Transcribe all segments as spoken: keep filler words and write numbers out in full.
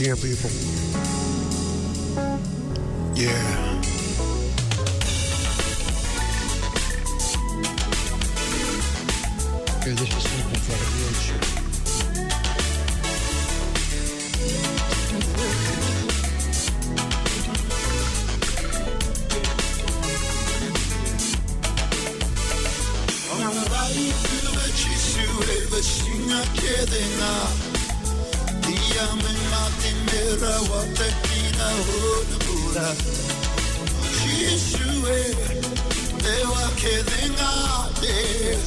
Here, people. Yeah. Okay, this is simple for the real shit. Au na rai tu vei Jisu e veisiga kece ga. Ia me mate me rawata kina o na bula. O Jisu e, lewa kece ga, yeah.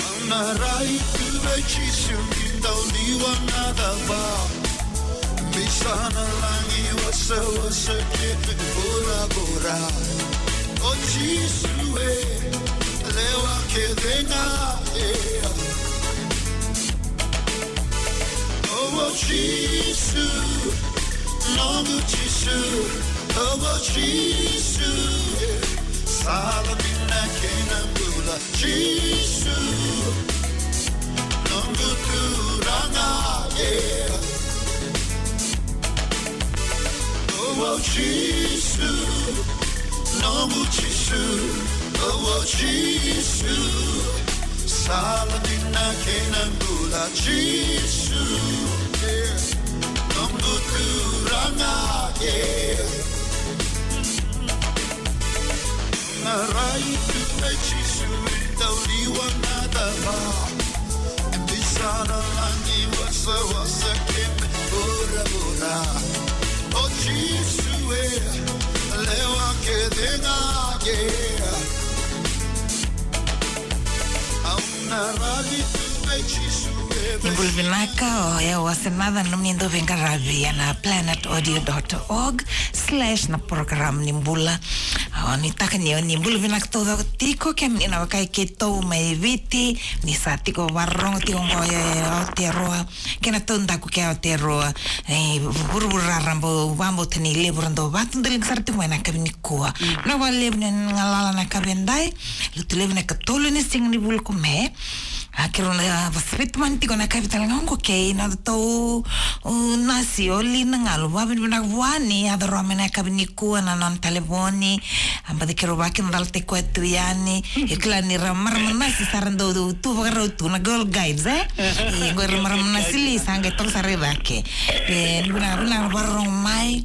Au na rai tu vei Jisu ni dau liwa na cava. Ni sa na lagi wasawasa kece, bora, bora. O Jisu e, lewa kece ga, yeah. O, o Jisu, noqu Jisu, o, o Jisu e, sala dina kei na bula. Jisu, noqu Turaga, yeah. O, o Jisu, noqu Jisu, o, o Jisu, sala dina kei na bula. Jisu, yeah, noqu Turaga, yeah. Na rai tu vei Jisu e dau liwa na cava. Ni sa na lagi wasawasa kece, bora, bora. O Jisu e, lewa kece ga, yeah. Au na rai tu vei Jisu e. Ni bula vinaka, o yau o Asenaca, nomuni dauveiqaravi ena planet audio dot org slash na program ni bula. Au nuitaka ni o ni bula vinaka taucoko tiko, kemuni na wekai keitou mai Viti, ni sa tiko vakarorogo tiko oqo e Aotearoa, kei na taudaku kei Aotearoa, e vuravura raraba, au vakabauta ni levu era dau vakadodoliga sara tiko mai na yakavi nikua. Mm. Vinaka vakalevu ni galala na yakavi edai, Lotulevu na ikatolu ni siga ni vula ko Me. A, keirau na, a, vakasavi tu mai tiko na yakavi tale ga oqo kei na nodatou, u, nasi o Lina Galu. Vakavinavinaka vua ni yaco rawa mai na yakavi nikua na nona talevoni. A, baci keirau vakadinadinataki koya tu yani. E kila ni ra marama nasi sa ra dau tu vakarau tu na girl guides, e? E, qo ira marama nasi li sa qai toka sara i cake. E, vinaka, vinaka vakarorogo mai.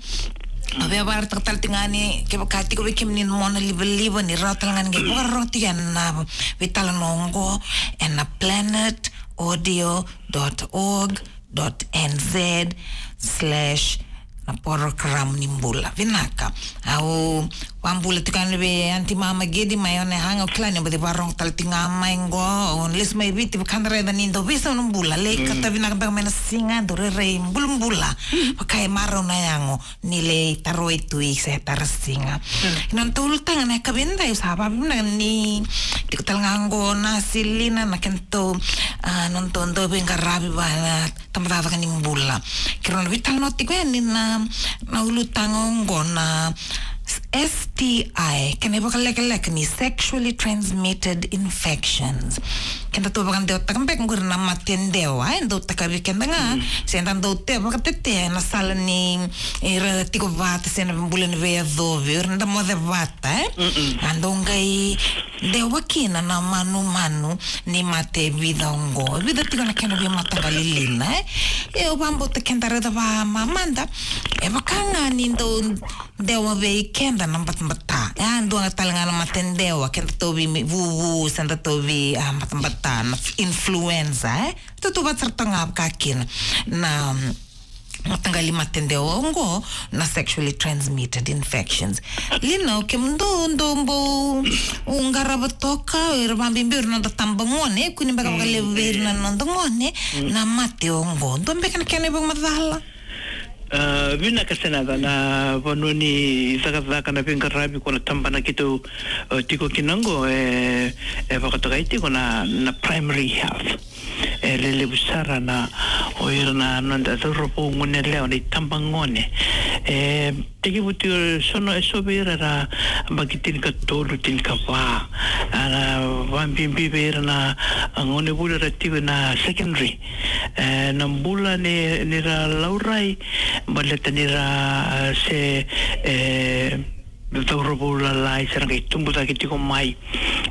Au via vakaraitaka tale tiko ga ni kevaka tiko vei kemuni na mona livaliva ni rawa tale ga ni qai vakarorogo tiko ena veitalanoa oqo ena planet audio dot org dot N Z slash na program ni bula. Vinaka. Au vakabula tiko yani vei Aunty Mama Gedi mai Onehunga, au kila ni baci vakarorogo tale tiko ga mai qo. Au lesu mai Viti, vaka da raica ni dau veisau na bula. Lai kata vinaka beka mai na siga, dau rairai bulabula. Vaka e marau na yago. Ni lai taroi tu i se tara siga. Mm. Ena nodatou ulutaga na yakavi edai, au sa vakavinavinaka ni tiko tale ga oqo na Silina, na kedatou, a, nodatou dauveiqaravi vua na tabacakacaka ni bula. Keirau na veitalanoa tiko yani na, na ulutaga oqo na S T I, kena ivakalekaleka ni sexually transmitted infections. Kedatou vakadewataka beka qori na mate dewa, e dau takavi keda ga, mm, se da dau te vakatetea ena sala ni, e, ira tiko vata se na bula ni veiyacovi, ira da moce vata, e? Mm-mm. A dau qai dewa kina na manumanu ni mate e vica oqo. E vica tiko na kena veimataqali, Lina, e? E, au vakabauta keda raica vakamamada, e vaka ga ni dau dewa vei keda na batabata. E a dua ga tale ga na mate dewa, keda tauvi vuvu, se da tauvi, a, batabata, na influenza, e? Tautauvata sara toka ga vaka kina na, mm, mataqali mate dewa oqo na sexually transmitted infections. Lina, o kemudou dou bau qarava toka, o ira vakabibi o ira na noda tabagone, kua ni beka vakalevu vei ira na noda gone, mm, na mate oqo. Dua beka na kena ivakamacala? A, vinaka Senaca, na vanua ni cakacaka, na veiqaravi ko na tabana keitou, e, tiko kina oqo, e, e vakatokai tiko na, na primary health. E lelevu sara na, o ira na noda cauravou, gone yalewa, na itabagone. E tekivu tiko e so na, e so vei ira era yabaki tinikatolu, tinikava. A, na vakabibi vei ira na, a, gonevuli era tiko ena secondary. E, na bula ni, ni ra laurai, baleta ni ra, e, se, e, cauravou lalai, se ra qai tubu cake tiko mai.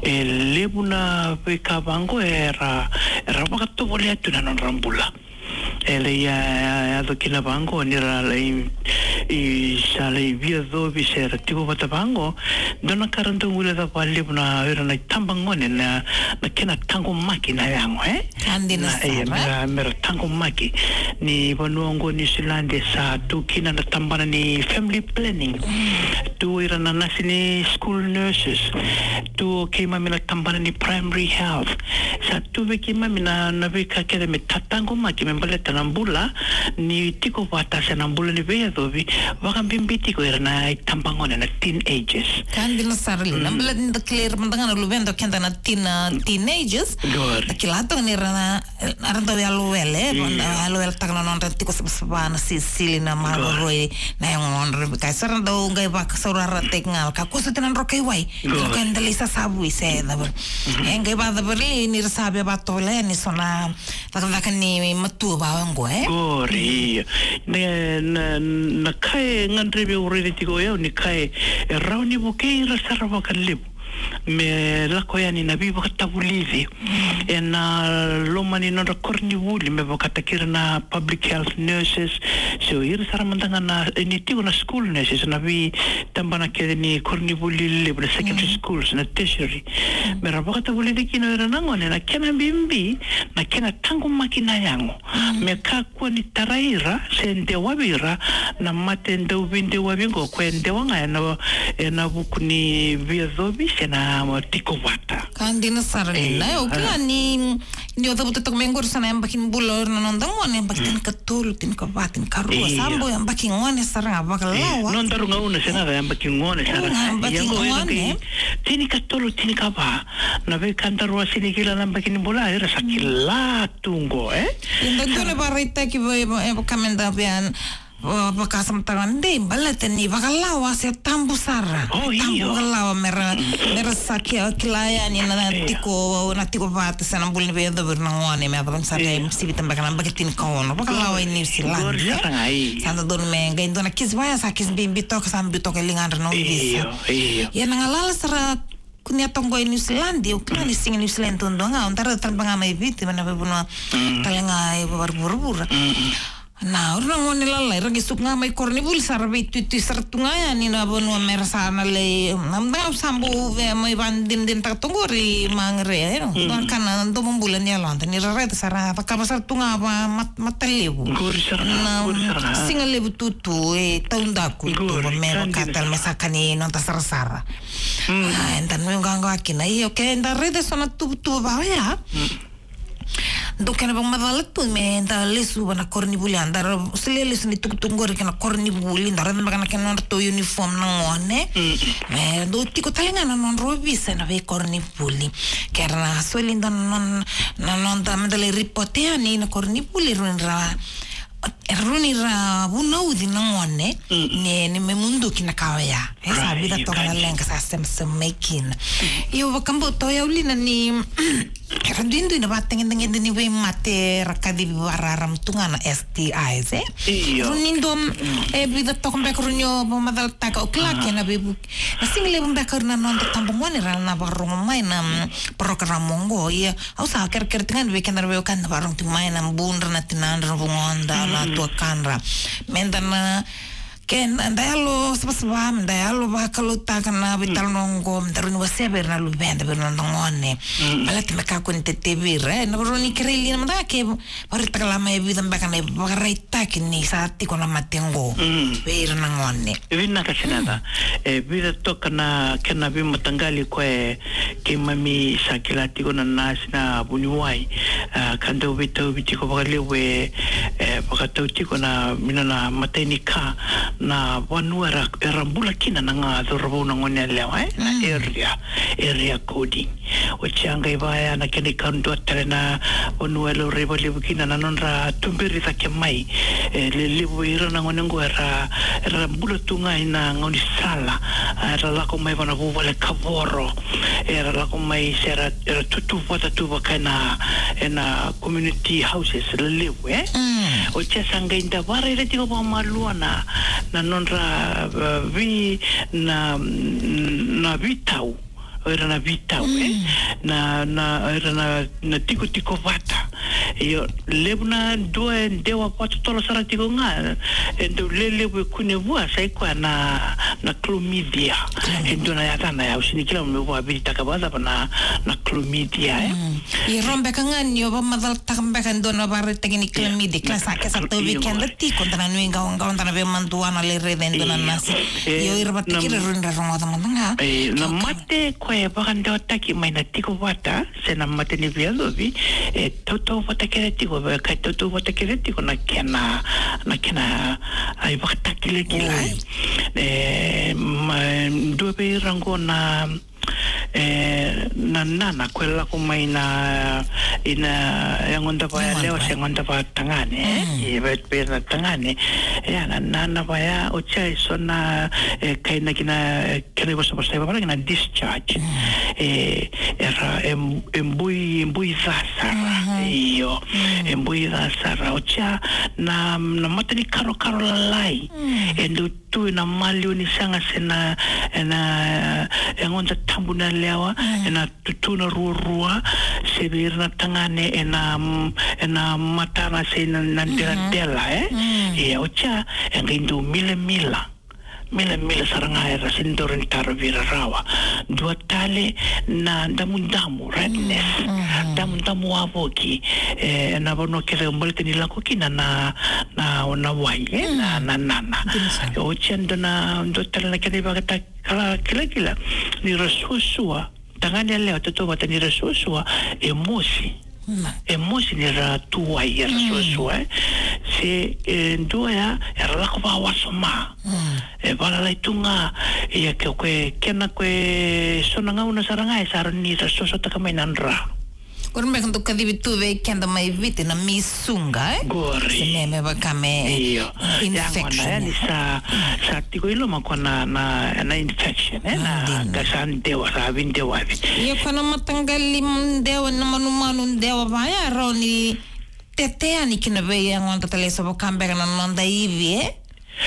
E levu na veika vaqo era, era vakatovolea tu na nodra bula. E lai, e, e, yaco kina vaqo ni ra lai, i sa lai via yacovi se ra tiko vata vaqo, dua na ka ra dau guileca vakalevu na ira na itabagone na, na kena taqomaki na yago, e? Ka dina sara. E, mera, mera taqomaki. Ni vanua oqo New Zealand e sa tu kina na tabana ni family planning. Tu ira na nasi ni school nurses. Tu keimami na tabana ni primary health. Sa tu vei keimami na, na veika kece me tataqomaki me baleta na bula ni tiko vata se na bula ni veiyacovi, vakabibi tiko ira na itabagone na teenagers. Ka dina sara li, na bula ni da kila ira mada ga na luveda o keda na teen, teenagers. Qori. Da kila toka ni ra na, ra dau yalowele, ra dau yaloweletaka na nodra tiko savasava, na sisili, na maroroi, na yagodra, ka sa ra dau qai vakasaurarataki ga, ka kua soti na droka i wai, droka i dalai sasavui se cava. E qai vakacavari ni ra sa via vakatovolea ni so na cakacaka ni matua vaqo, e? Qori, io. Na, na, na ka e gadrevi au raica tiko o yau ni ka e, e rawa ni vukei ira sara vakalevu me lako yani na veivakatavulici ena loma ni nodra koronivuli, me vakataki ira na public health nurses, so ira sara mada ga na, e, ni tiko na school nurses, na veitabana kece ni koronivuli levu, na secondary schools, na tertiary. Me ra vakatavulici kina o ira na gone na kena bibi, na kena taqomaki na yago. Me kakua ni tarai ira se dewavi ira na mate dau veidewavi oqo, ko e dewa ga ena, ena vuku ni veiyacovi se na tiko vata. Ka dina sara, e, Lina. E, au kila ni, ni o cavuta toka mai qori sa na yabaki ni bula o ira na noda gone, yabaki tinikatolu, tinikava, tinikarua. Sa bau yabaki gone sara ga vakalawa. Nodaru gauna se na yabaki gone sara ga. Yabaki gone. Tinikatolu, tinikava. Na veika daru a sega ni kila na yabaki ni bula, era sa kila tu qo, e? Ia da dua na vakaraitaki vei, e, vaka me da via, va, vakasamataka dei, baleta ni vakalawa se tabu sara. O, io. Tabu vakalawa me ra, me ra sa ki, kila yani na tiko, na tiko vata se na bula ni veiyacovi o ira na gone, me vaka me sa qai sivita beka na yabaki tinikaono. Vakalawa i New Zealand, e? Sa dodonu me qai dua na kisi vaya, sa kisi bibi toka, sa biu toka e ligadra na ovisa. Io, io. Ia na galala sara kunea toka qo e New Zealand, au kila ni siga New Zealand duadua ga, au dara tale ga mai Viti, mai na veivanua tale ga e vakavuravura. Na, o ira na gone lalai, ra qai suka ga mai koronivuli, sa ra veituitui sara tu ga yani na vanua me ra sa na lai, na mada ga sa bau via mai vakadinadinataka toka qori Magare, e, na ka na domobula ni yaloda, ni ra raica sa ra cakava sara tu ga vakamat-, matalevu. Qori sara ga, na qori sara ga. Siga levu tutu, e, taudaku tu, qori, me vaka tale me sa ka ni noda sarasara. A, eda nuiqawaqawa kina. Io, ke da raica eso na tuvatuva vaka oya. Dua kena vakamacala tu me da lesuva na koronivuli, a, da ra solia lesu ni tukutuku qori kei na koronivuli, da raica beka na kena nodratou uniform na gone. Me dau tiko tale ga na nodra ovisa ena veikoronivuli. Ke ra na soli dua na, na, na noda, me da lai ripote yani na koronivuli, rawa ni ra E rawa ni ra vunauci na gone ni, ni me muduki na ka oya. E sa vica toka na leqa sa semasema mai kina. Io, vakabauta o yau, Lina, ni era duidui na vakatagedegede ni veimate era kacivi vakararama tu ga na S T Is, e? Io. Rawa ni dua, e vica toka beka rawa ni o vakamacalataka, o kila, kena veivuke. Na siga levu beka o ira na noda tabagone era na vakarogo mai na, mm, program oqo. Ia, au sa kerekere tiko ga ni vei keda na veiwekani na vakarogo tiko mai na budra, na tinadra, na vugoda, na tuakadra. Meda na, ke da, da yalo savasava, meda yalo vakalougatataka na veitalanoa oqo, meda rawa ni wasea vei ira na luveda, vei ira na noda gone. Baleta me kakua ni tete vei ira, e, na rawa ni kerei Lina mada ke vakaraitaka la mai e vica beka na ivakaraitaki ni sa tiko na mate oqo vei ira na gone. Vinaka Sinata. E vica toka na kena veimataqali koya keimami sa kila tiko na nasi, na vuniwai, a, ka dau veitauvi tiko vakalevu e, e, e vakatau tiko na, mina na imatai ni ka, na vanua era, era bula kina na ga cauravou na gone yalewa, e? Na area, area coding. Oti ya qai vaya na kena ikadua tale na vanua e laurai vakalevu kina na nodra tuberi cake mai. E, lelevu vei ira na gone qo era, era bula tu ga ina gaunisala. A, era lako mai vana vuvale kavoro. Era lako mai se era, era tutu vata tu vaka ena, ena community houses lelevu, e? Oti ya sa qai da varaira tiko vakamalua na, na nodra, e, vi, na, na vitau. O ira na vitau, e? Na, na, o ira na, na tikotiko vata. Io, levu na dua e dewa vakatotolo sara tiko ga, e dau lelevu e kune vua, sa i koya na, na chlamydia. E dua na yacana ya, au sega ni kila me vakavititaka vakacava na, na chlamydia, e? Ia, rau beka ga ni o vakamacalataka beka e dua na vakaraitaki ni chlamydia, kila sa ke sa tauvi keda tiko, da na nuiqawaqawa, da na veimadua, na lai raica e dua na nasi. Io, ira vata kei ira rau ni ra rogoca mada ga. E, na mate koya e vakadewataki mai na tiko vata, se na mate ni veiyacovi, e tautauvata kece tiko, e ka e tautauvata kece tiko na kena, na kena, a, ivakatakilakila, e. E, ma, dua vei ira qo na, e, na nana, koya e lako mai na, ina, yagoda vakayalewa se yagoda vakatagane, e. E, vei, vei ira na tagane, e, na nana vaya, oti ya e so na, e, kainaki na, e, kena ivosavosa e vaka na discharge. E, era, e, e bui, e bui ca sara. Io. E bui ca sara. Oti ya na, na mata ni karokaro lalai. E dau tu ena maliwa ni saga se na, ena, e, yagoda tabu na yalewa, ena tutu na ruarua, se vei ira na tagane, ena, ena matana se na, na deladela, e? Ia, oti ya, e qai dau milamila. Milamila sara ga era sega ni dau rawa ni tara vei ira rawa. Dua tale na damudamu, redness. Damudamu wavoki. E, na vanua kece baleta ni lako kina na, na, na wai, e, na, na nana. Oti ya dua na, dua tale na kena ivakatakilakila ni ra suasua. Tagane yalewa tautauvata ni ra suasua, e mosi. E mosi ni ra tu wai era suasua, e. Se, e, dua ya, era lako vakawasoma. E valalai tu ga, ia ke, ke, kena ke so na gauna sara ga, e sa rawa ni ra suasuataka mai na dra. Qori beka dau kacivi tu vei keda mai Viti na misuga, e? Qori. Se me, me vaka me, io, infection. Ia gona ya ni sa, sa tiko i loma ko na, na, na infection, e? Na, dina. Ka sa dewa, sa veidewavi. Ia ko na mataqali dewa, na manumanu dewa vaya, rawa ni tete yani kina vei yagoda tale eso vaka beka na noda ivi, e?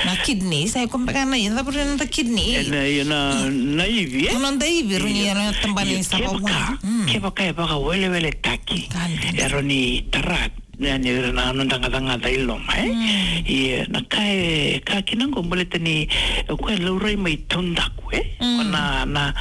Na kidney, sa i ko beka na, ia, cava na noda kidney? E na, ia na, na ivi, e? Na noda ivi, rau ni, ia, na tabana ni sava wai. Kevaka e vakaweleweletaki. Ka dina. E rau ni tara, ia ni ra na noda gacagaca i loma, e? Ia, na ka e, ka kina qo baleta ni, e, ko e laurai mai taudaku, e? Ko na, na,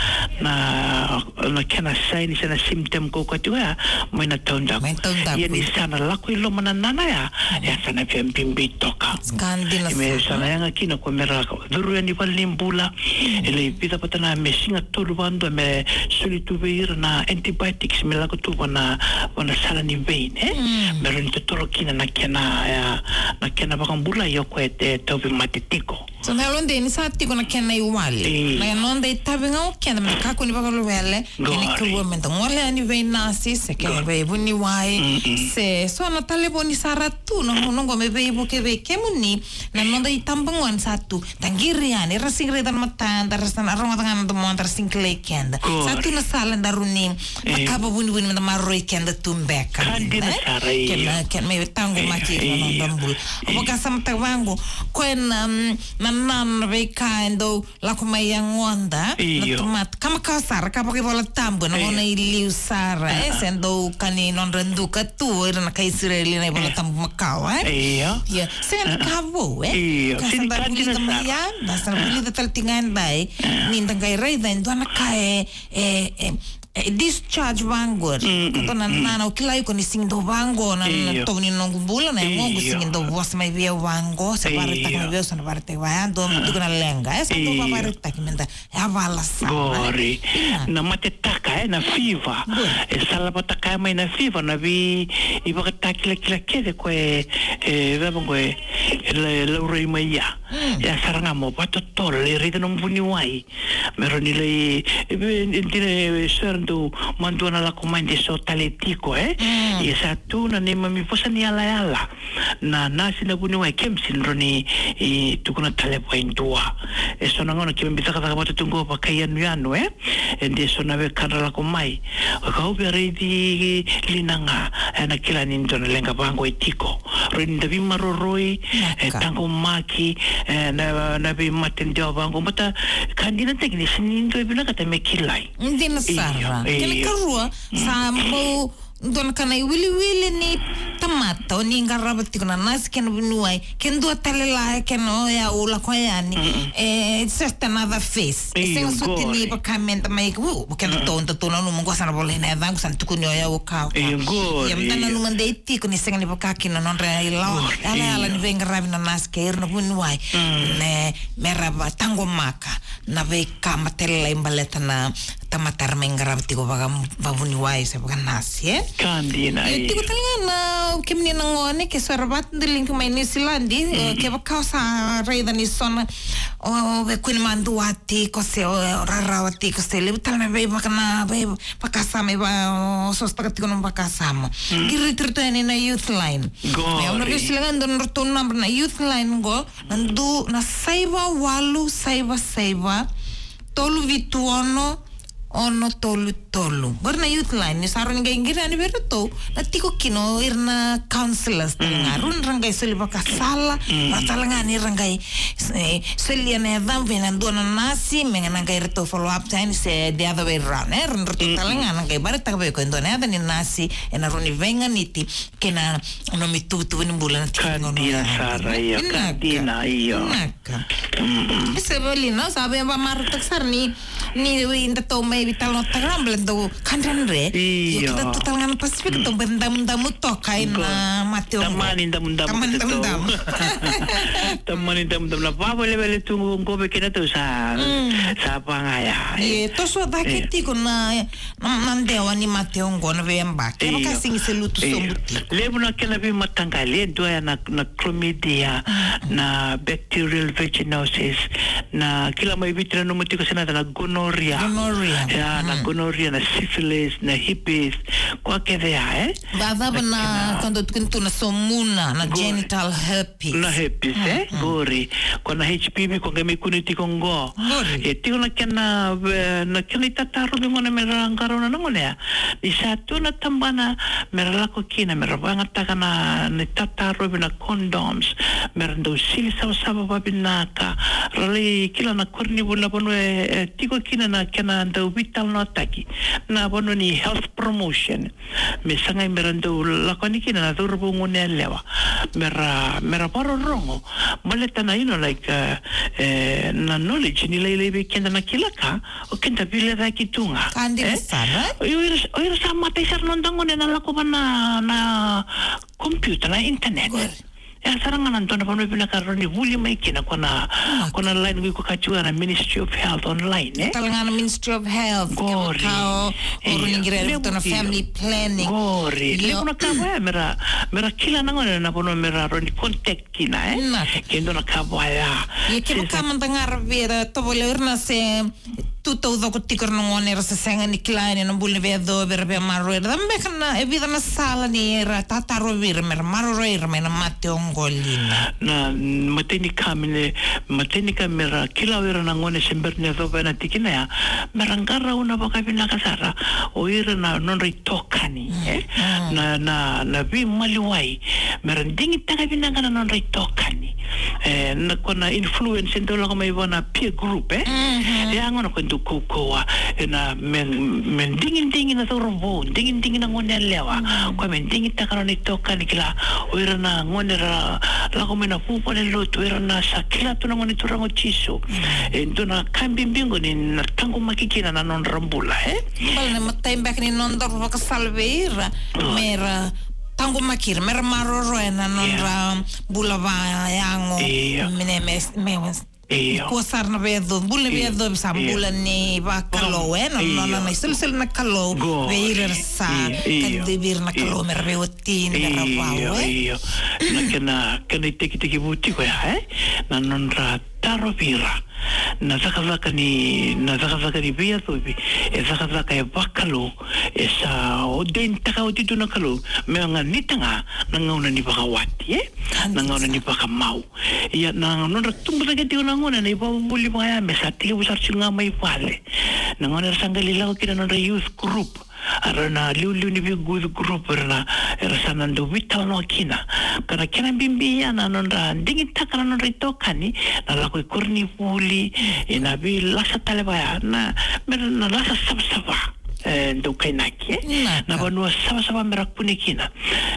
na, na kena sign se na symptom ko koya tiko ya, mai na taudaku. Mai taudaku. Ia ni sa na lako i loma na nana ya, ya sa na via bibi toka. Ka dina sara. Me sa na yaga kina ko me ra curu yani valenibula. E lai vica vata na me siga tolu vadua me soli tu vei ira na antibiotics me lako tu vana, vana sala ni vein, e? Me rawa ni totolo kina na kena, ya, na kena vakabula, ia ko e, e tauvi mate tiko. So na yalo de ni sa tiko na kena iwali. Na noda itavi ga o keda me da kakua ni vakaluvele. Kena ikarua me da gole yani vei nasi, se kena vei vuniwai. Se so na talevoni sara tu na gauna qo me veivuke vei kemuni. Na noda itabagone sa tu. Da qiri yani, ra sega ni raica na matada, ra sa na rogoca ga na domoda, ra sega ni kilai keda. Sa tu na sala da rawa ni cakava vunivuni me da maroroi keda tu beka. Ka dina sara, io. Kena, kena me taqomaki na noda bula. Au vakasamataka vaqo, ko e na, mm, na nana veika e dau lako mai yagoda, na tamata, ka makawa sara, ka vakaivolatabu, na gauna i liu sara, e, se dau ka ni nodra duka tu, ira na kai Isireli na ivolatabu makawa, e? Io. Ia, sega ni ka vou, e? Io, ka sa da vulica mai ya, da sa na vulica tale tiko ga e dai, ni da qai raica e dua na ka e, e, e, E discharge vaqori. Mm, mm, ka dua na, mm, nana, au kila iko ni sigi dau vaqo na, na, io, tovo ni noqu bula, na, io, yagoqu sigi dau vosa mai vei au vaqo, se, io, vakaraitaka mai vei au, se na vakaraitaka vaya, dua, ah, tiko na leqa. E sa dau, io, vakaraitaki meda yavala sara. Qori. Ina. Na matetaka, e, na fever. Qori. E salavataka mai na fever, na vei, ivakatakilakila kece ko e, e, veva qo e, e la-, e laurai mai ya. Mm. Ya sara ga mo vakatotolo, lai raica na vuniwai. Me rawa ni lai, e, e, e, dina, e, so era dau madua na lako mai de so tale tiko, e? Mm. Ia sa tu na neimami vosa ni yalayala. Na nasi na vuniwai, kemsi ni rawa ni, e, tukuna tale vua e dua. E so na gauna keimami cakacaka vata tu qo vakaiyanuyanu, e? E de so na wekadra lako mai. Kau via raici Lina ga, e na kila ni dua na leqa vaqo e tiko. Rawa ni da veimaroroi, e, naka, taqomaki, e, na, na veimate dewa vaqo. Baleta ka dina tale ga ni sega ni dua e vinakata me kilai. Dina sara. Io, kena, io, ikarua, mm, sa bau dua na ka na iwiliwili ni tamata, o ni qarava tiko na nasi kei na vuniwai, ke dua tale la e kena o yau lako yani. Mm-mm. E, it's just another face. E, io, sega soti ni, qori, vaka meda mai, u, keda, mm, tou, da tou nanuma qo sa na volai na yacaqu, sa na tukuni o yau o ka, o ka. Io, qori. Ia meda nanuma dei tiko ni sega ni vaka kina na nodra ila-, qori, yalayala, io, ni veiqaravi na nasi kei ira na vuniwai. Mm. Ne, mera vataqomaka na veika matailalai baleta na tamata era mai qarava tiko vaka, vakavuniwai se vakanasi, e? Ka dina, io, io. Tiko tale ga na, kemuni na gone, ke so era vakadidike mai Niusiladi, e, mm, kevaka o sa raica ni so na, o, o veikunei madua tiko se, o, o rarawa tiko se, levu tale na veivaka na, vei, vakasama, e va, o, sosotaka tiko na vakasama. Mm. Qiriti iratou yani na Youth Line. Qori. E, au na veisili ga dua na nodratou naba na Youth Line qo, na du, na saiva walu saiva saiva, tolu vitu ono, ono tolu tolu. Qori na Youth Line, ni sa rawa ni qai qiri yani vei iratou, na tiko kina o ira na counselors tale ga. Mm. Rawa ni ra qai soli vakasala, mm, rawa tale ga ni ra qai, e, solia na yacamu vei na dua na nasi, me na qai ratou follow up tani se the other way around, e, rawa ni ratou, mm, tale ga na qai vakaraitaka vei iko e dua na yaca ni nasi, e na rawa ni veiganiti kei na nomu ituvatuva ni bula na tiki ni gauna. Ka dina sara, io, ka dina, io. Vinaka. Mm. E se voli, na, sa via vakamarautaka sara ni, ni eda tou mai veitalanoataka, baleta dau ka dredre. Io. Io, keda tu tale ga na Pasifika, tou bau damudamu toka ena mate oqo. Tamani damudamu. Tamani damudamu. Tamani damudamu. Na vavelevele tu qo vei keda tou sa, mm, sa vagaya. Io, toso cake tiko na na, na dewa ni mate oqo na veiyabaki. Io. Vaka sega ni se lutu sobu tiko. Levu na kena veimataqali, e dua ya na, na chlamydia, mm, na bacterial vaginosis, na kila mai Viti nanuma tiko se na, na gonorrhea. Gonorrhea. Ya, na, mm, gonorrhea, na syphilis, na herpes, koya kece ya, e? Vacava na, na kena, ka dau tukuni tu na somuna, na, qori, genital herpes. Na herpes, mm, e? Mm. Qori. Ko na H P V, ko qai mai kune tiko qo. Qori. E tiko na kena, e, na kena itatarovi gona mera qarauna na gone ya. Ni sa tu na tabana mera lako kina, mera vakayagataka na, na itatarovi, na condoms, mera dau sili savasava vavinaka. Ra lai kila na koronivuli, na vanua e, e tiko kina na kena dau veitalanoataki. Na vanua ni health promotion. Me sagai mera dau lako yani kina na cauravou, gone yalewa. Mera, mera vakarorogo. Baleta na, you know, like, e, e, na knowledge ni lailai vei keda na kila ka, o keda veilecayaki tu ga. Ka dina sara. O ira, o ira sa matai sara na noda gone na lako va na, na computer, na internet. Qori. Ya sara ga na dua na vanua vinaka rawa ni vuli mai kina ko na, ah, ko na line qo iko kaya tiko na Ministry of Health online, e? Tale ga na Ministry of Health, qori, kevaka o, io, rawa ni qiri, io, iratou na family planning. Qori. Io. Levu na ka vaya mera, mera kila na gone na vanua mera rawa ni contact kina, e? Naka. Ke dua na ka vaya. Io, kevaka mada ga ra via tovolea o ira na se tu taucoko tiko era na gone era se sega ni kila yani na bula ni veiyacovi, era via maroroi ira. Cava beka na, e vica na sala ni ra tatarovi ira mera maroroi ira mai na mate oqo, Lina? Na imatai ni ka me, imatai ni ka mera kila o ira na gone se bera ni yacova na tikina ya, mera qarauna vakavinaka sara o ira na nodra itokani, e? Mm. Na, na, na veimaliwai, mera digitaka vinaka na nodra itokani. E, na ko na influence e dau lako mai vua na peer group, e? Mhm. E a gona ko e dau kaukauwa, e na me, me digidigi na cauravou, digidigi na gone yalewa. Mm. Ko me digitaka na nona itokani kila, o ira na gone ra lako mai na vuvu ni lotu, o ira na sa kila tu na Gone Turaga o Jisu. Mm. E dua na ka bibi qo ni na taqomaki kina na nodra bula, e? Bale na matai beka ni nodaru vakasala vei ira, oh, me ra taqomaki ira, me ra maroroya na nodra, yeah, bula vakayago. Io. Me, me, me, me, io, kua sara na veiyacovi, bula ni, io, veiyacovi sa, io, bula ni vakalou, e, na, io, nona na isolisoli na Kalou, qori, vei ira era sa, io, io, kacivi ira na, io, Kalou me ra veiwatini, me ra, io, vau, e? Io. Na kena, kena itekitekivu tiko ya, e? Na nodra tarovi ira. Na cakacaka ni, na cakacaka ni veiyacovi, e cakacaka e vakalou, e sa ordain-taka oti tu na Kalou, me ganita ga na gauna ni vakawati, e? Na gauna ni vakamau. Ia na nodra tubu cake tiko na gauna, na ivakavuvuli vakaya me sa tekivu sara tiko ga mai vale. Na gauna era sa qai lako kina na nodra youth group. Era na liuliu ni vei youth group, era na, era sa na dau veitalanoa kina. Ka na kena bibi ya na nodra digitaka na nodra itokani, na lako i koronivuli, e na veilasa tale vaya, na, me ra na lasa savasava, e, dau kainaki, e? Na vanua savasava me ra kune kina.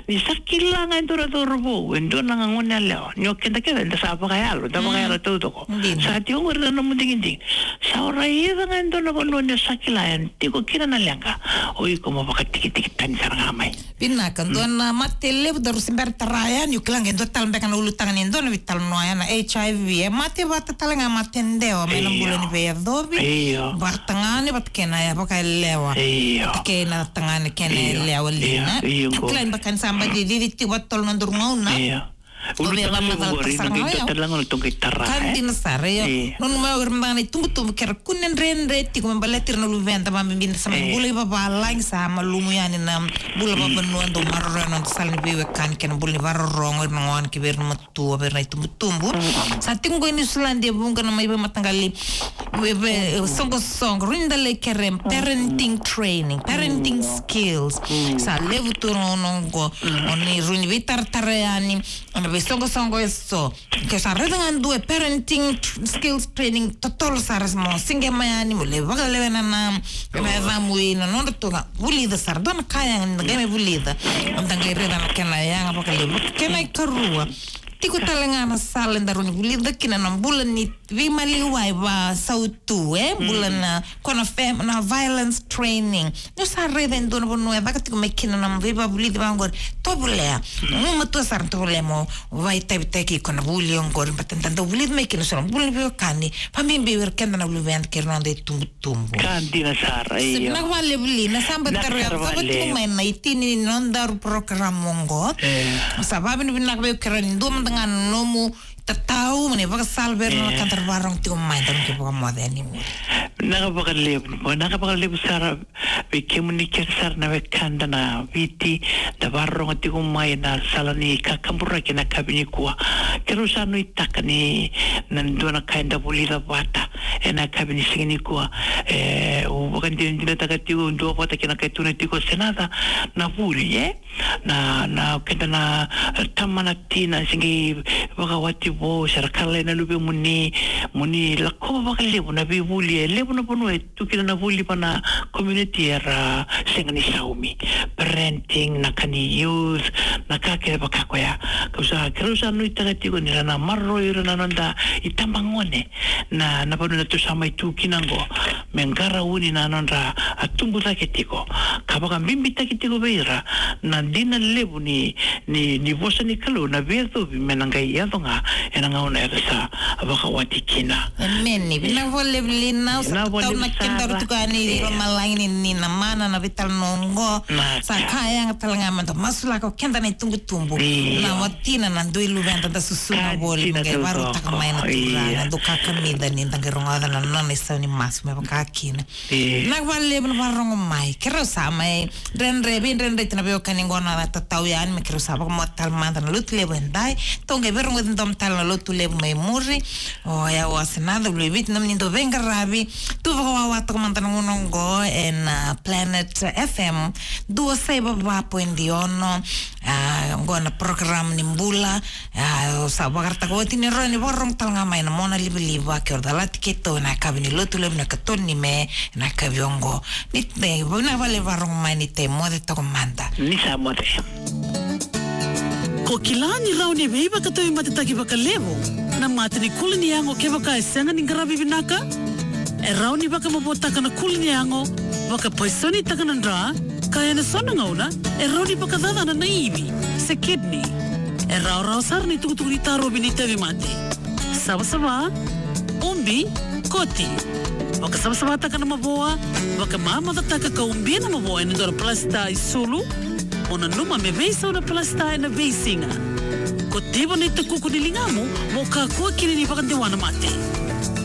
Ni sa kila ga e dua na cauravou, e dua na gone yalewa. Ni o keda kece, eda sa vakayalo, da vakayalo taucoko. Dina. Sa tiko qori na nomu digidigi. Sa o raica ga e dua na vanua ni o sa kila e tiko kina na leqa, o iko mo vakatikitiki tani sara ga mai. Vinaka, dua na mate levu daru se bera tara yani, o kila ga e dua tale beka na ulutaga ni dua na veitalanoa ya na H I V. E mate vata tale ga, mate dewa mai na bula ni veiyacovi. Io. Vata tagane, vata kei na vakayalewa. Io. Vata kei na tagane kei na yalewa, Lina. Io, io. Kila beka ni sa baci cici tiko vata tolu na nodaru gauna. Io. Ulutaga levu qori, na qai dua tale ga na nodaru qai tara, e? Ka dina sara, io. Io. Nanuma o ira mada ga na itubutubu, ke ra kune dredre tiko me baleti ira na luveda, vakabibi ni da sa mai bula i vavalagi, sa malumu yani na bula vakavanua, dau maroroya na noda sala ni veiwekani kei na bula ni vakarorogo, ira na gone kei vei ira na matua, vei ira na itubutubu. Sa tiko qo i Niusiladi e vuqa na mai veimataqali, vei, vei, soqosoqo, rui da lai kere parenting training, parenting skills. Sa levu tu na gauna qo, o ni rui ni veitaratara yani, na veisoqosoqo eso. Ke sa raica ga dua e parenting tr-, skills training, totolo sara mo siqema yani, mo lai vakalewena na, na yacamu i na nodra tu ga. Vulica sara, dua na ka yaga ni da qai mai vulica. Da qai raica na kena yaga vakalevu. Kena ikarua. Tiko tale ga na sala daru ni vulica kina na bula ni veimaliwai vakasautu, e? Bula na, ko na fam-, na violence training. Niu sa raica e dua na vanua e caka tiko mai kina na veivakavulici vaqori. Tovolea. Mo matua sara, tovolea mo vakaitavitaki iko na vuli oqori, baleta da dau vulica mai kina so na bula ni veiwekani. Vakabibi vei ira keda na luveda kei ira na noda itubutubu. Ka dina sara, io. Vinaka vakalevu, Lina, sa bau taro ya, vinaka sara vakalevu. Cava tiko mai na itini ni nodaru porokaramu oqo. E. Sa vakavinavinaka vei iko, kerea ni dua mada ga na nomu tatau, mo ni vakasala vei ira na wekada ra vakarorogo tiko mai, daru qai vakamoce yani. Vinaka vakalevu, vinaka vakalevu sara vei kemuni kece sara na wekada na Viti, da vakarorogo tiko mai na sala ni kakaburaki ena yakavi nikua. Keirau sa nuitaka ni na dua na ka eda vulica vata ena yakavi ni siga nikua. E, au vakadinadinataka tiko, duavata kei na ka e tukuna tiko o Senaca, na vuli, e? Na, na keda na, e, tama na tina, se qai vakawati vou, se ra kala na luvemuni, mo ni lakova vakalevu na veivuli, e levu na vanua e tu kina na vuli vua na community era sega ni saumi. Parenting, na ka ni youth, na ka kece vaka koya. Kau sa, keirau sa nuitaka tiko ni ra na maroroi ira na noda itabagone, na, na vanua datou sa mai tu kina oqo, me qarauni na nodra, a, tubu cake tiko. Ka vakabibitaki tiko vei ira na dina levu ni, ni, ni vosa ni Kalou, na veiyacovi me na qai yaco ga ena gauna era sa vakawati kina. Emeni. Vinaka vakalevu, Lina, au sa tau na keda ra tukuni i lomalagi ni, ni na mana na veitalanoa oqo. Sa ka yaga tale ga meda masulaka o keda na itubutubu. Io. Na watina, na dui luveda da susuna voli, me qai vakarautaka mai na Turaga, dau kakamica ni da qai rogoca na nona isau ni masu me vaka kina. Vinaka vakalevu na vakarorogo mai. Keirau sa mai dredre, veidredre tiko na veiwekani qo, na tatau yani me keirau sa vakamoce tale mada na Lotulevu edai. Tou qai veirogoci domo tale na Lotulevu mai muri. O yau o Senaca Vuluiviti, nomuni dau veiqaravi. Tu vakawawa toka mada na gauna oqo ena, a, Planet F M dua saiva va point ono. A, oqo na program ni bula. A, au sa vakaraitaka oti ni rawa ni vakarorogo tale ga mai na mona livaliva kei ira calati keitou ena yakavi ni Lotulevu na ikatolu ni Me, ena yakavi oqo. Ni, ni, vinaka vakalevu ni vakarorogo mai, ni da moce toka mada. Ni sa moce. Ko kila ni rawa ni veivakatauveimatetaki vakalevu na mate ni kuli ni yago kevaka e sega ni qaravi vinaka? E rawa ni vakamavotaka na kuli ni yago, vakapaisonitaka na dra, ka ena so na gauna e rawa ni vakacacana na ivi se kidney. E rawarawa sara na itukutuku ni tarovi ni tauvimate. Savasava, ubi, koti. Vakasavasavataka na mavoa, vakamamacataka ka ubia na mavoa ena dua na palasita isulu. Mo nanuma me veisau na palasita ena veisiga. Kotiva na itakuku ni ligamu mo kakua kina ni vakadewa na mate.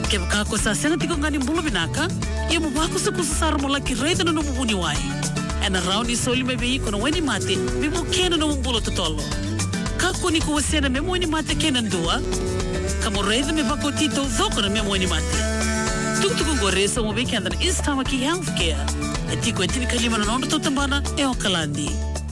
Kevaka ko sa sega tiko ga ni bula vinaka, ia mo vakusakusa sara mo laki raica na nomu vuniwai. Ena rawa ni soli mai vei iko na wainimate me vukea na nomu bula totolo. Kakua ni ko wasea na memu wainimate kei na dua, ka mo raica me vakaoti taucoko na memu wainimate. Tukutuku oqori e sauma vei keda na East Tamaki Healthcare. E tiko e tinikalima na nodratou tabana e Okaladi.